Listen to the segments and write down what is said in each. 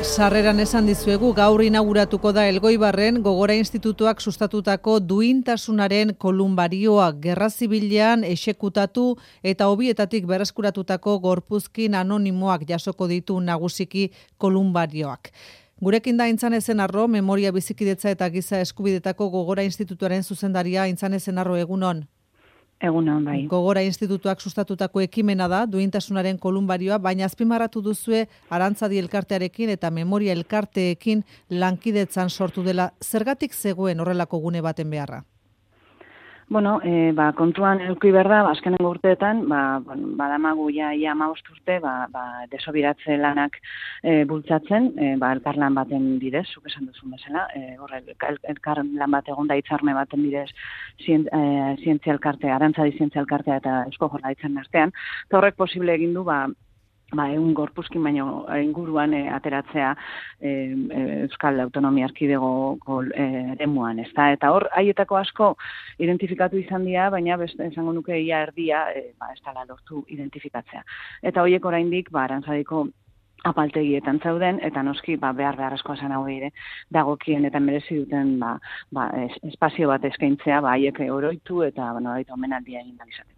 Sarreran esan dizuegu gaur inauguratuko da Elgoibarren Gogora Institutuak sustatutako duintasunaren kolumbarioa gerra zibilean exekutatu eta hobietatik berreskuratutako gorpuzkin anonimoak jasoko ditu nagusiki kolumbarioak. Gurekin da Aintzane Zenarro, Memoria Bizikidetza eta Giza Eskubidetako Gogora Institutuaren zuzendaria. Aintzane Zenarro, egunon. Egunon, bai. Gogora Institutuak sustatutako ekimena da, duintasunaren kolumbarioa, baina azpimarratu duzue Arantzadi elkartearekin eta Memoria elkarteekin lankidetzan sortu dela. Zergatik zegoen horrelako gune baten beharra? Bueno, kontuan eduki behar da, azkenengo urteetan, badamagu ja 15 urte, desobiratze lanak bultzatzen, elkarlan baten bidez, zuk esan duzun bezala, elkarlan bat egon da hitzarme baten bidez zientzia elkartea, Arantzadi zientzia elkartea eta Eusko Jaurlaritzaren artean, eta horrek posible egin du, egun gorpuzkin baino inguruan ateratzea Euskal Autonomia Erkidegoko eremuan, ezta? Eta hor, haietako asko identifikatu izan dira, baina esango nuke ia erdia ez dela lortu identifikatzea. Eta horiek oraindik Arantzadiko apaltegietan zauden, eta noski beharrezkoa zen hau ere dagokien eta merezi duten espazio bat eskaintzea, haiek oroitu eta omenaldia egin ahal izateko.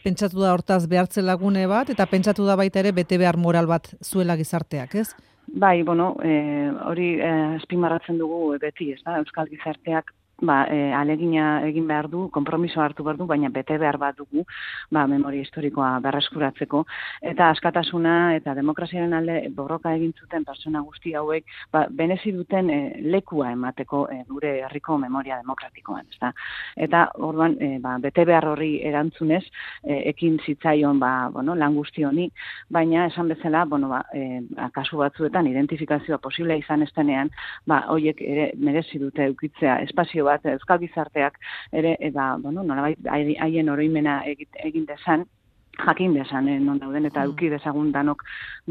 Pentsatu da hortaz behartze lagune bat, eta pentsatu da baita ere bete behar moral bat zuela gizarteak, ez? Bai, hori azpimarratzen dugu beti, ez da? Euskal gizarteak alegina egin behar du, konpromiso hartu behar du, baina bete behar bat dugu, memoria historikoa berreskuratzeko, eta askatasuna eta demokraziaren alde borroka egin zuten pertsona guzti hauek, benezi duten lekua emateko gure herriko memoria demokratikoan, ezta? Eta orduan, bete behar horri erantzunez, ekin zitzaion lan guzti honi, baina esan bezala, kasu batzuetan identifikazioa posible izan estenean, horiek ere merezi dute eukitzea espazio bat, Euskal gizarteak ere, nolabait haien oroimena egin dezan, jakin dezan non dauden, eta eduki dezagun danok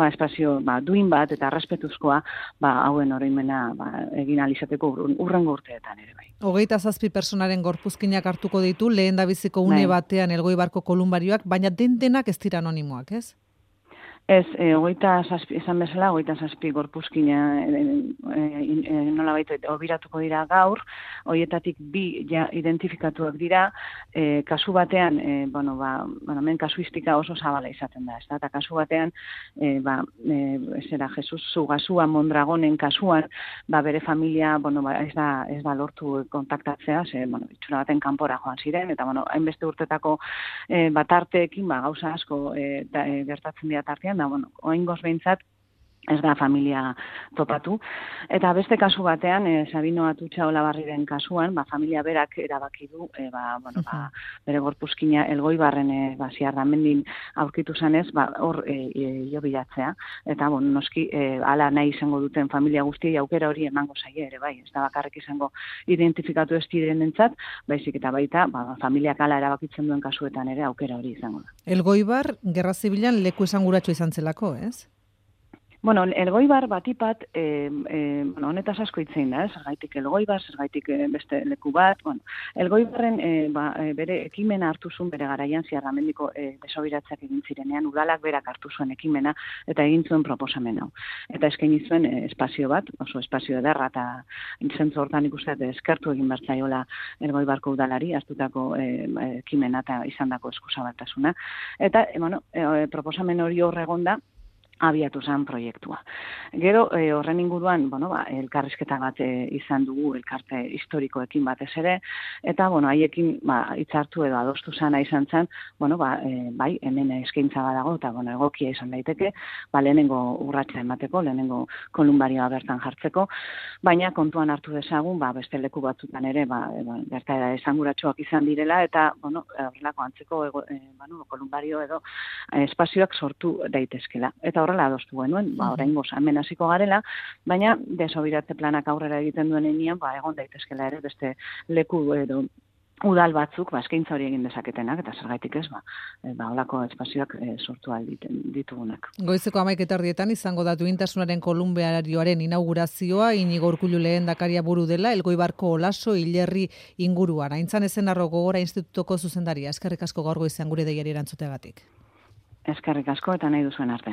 espazio duin bat eta errespetuzkoa hauen oroimena egin ahal izateko hurrengo urteetan ere bai. 27 pertsonaren gorpuzkinak hartuko ditu lehendabiziko une batean Elgoibarko kolumbarioak, baina denak ez dira anonimoak, ez? Ez, 27, esan bezala, 27 gorpuzkina nolabait obiratuko dira gaur, horietatik 2 identifikatuak dira, kasu batean, hemen kasuistika oso zabala izaten da, eta kasu batean, Jesus Zugasua Mondragonen kasuan, bere familia, ez da lortu kontaktatzea, itxura baten kanpora joan ziren, eta hainbeste urtetako batarteekin, gauza asko gertatzen dira tartean, oingoz behintzat ez da familia topatu. Eta beste kasu batean, Sabino Atutxa Olabarriren kasuan, familia berak erabaki du, bere gorpuzkina Elgoibarren Ziardamendin aurkitu zanez, hor jobilatzea. Eta, noski, hala nahi izango duten familia guztiei aukera hori emango zaie ere, bai. Ez da bakarrik izango identifikatu ez direnentzat, baizik eta baita, familiak hala erabakitzen duen kasuetan ere aukera hori izango da. Elgoibar, gerra zibilan leku esanguratsu izan zelako, ez? Elgoibar batipat, honetaz asko hitzein da, zergaitik Elgoibar, zergaitik beste leku bat, Elgoibarren bere ekimena hartu zuen bere garaian Ziardamendiko desobiratzeak egin zirenean, udalak berak hartu zuen ekimena eta egin zuen proposamen hau. Eta eskaini zuen espazio bat, oso espazio ederra, eta zentzu hortan ikusten eskertu egin bertzaiola Elgoibarko udalari, hartutako ekimena eta izandako eskuzabaltasuna. Eta, proposamen hori horregonda, abiatu zen proiektua. Gero, horren inguruan, elkarrizketa bat izan dugu, elkarte historikoekin batez ere, eta, haiekin hitzartu edo adostu zana izan zen, bai, hemen eskaintza badago, eta, egokia izan daiteke, lehenengo urratsa emateko, lehenengo kolumbarioa bertan jartzeko, baina kontuan hartu dezagun, beste leku batzutan ere, gertaera esanguratsuak izan direla, eta, horrelako antzeko kolumbario edo espazioak sortu daitezkela. Eta horrela adostu genuen, oraingoz hemen hasiko garela, baina desobiratze planak aurrera egiten duen heinean, egon daitezkela ere beste leku edo udal batzuk eskaintza hori egin dezaketenak, eta zergaitik ez, holako espazioak sortu ahal ditugunak. Goizeko 11:00 izango da duintasunaren kolumbarioaren inaugurazioa, Inigo Urkullu lehendakaria buru dela, Elgoibarko Olaso hilerri inguruan. Aintzane Zenarro Gogora Institutuko zuzendaria, eskerrik asko gaur goizean gure deiari erantzuteagatik. Eskerrik asko eta nahi duzuen arte.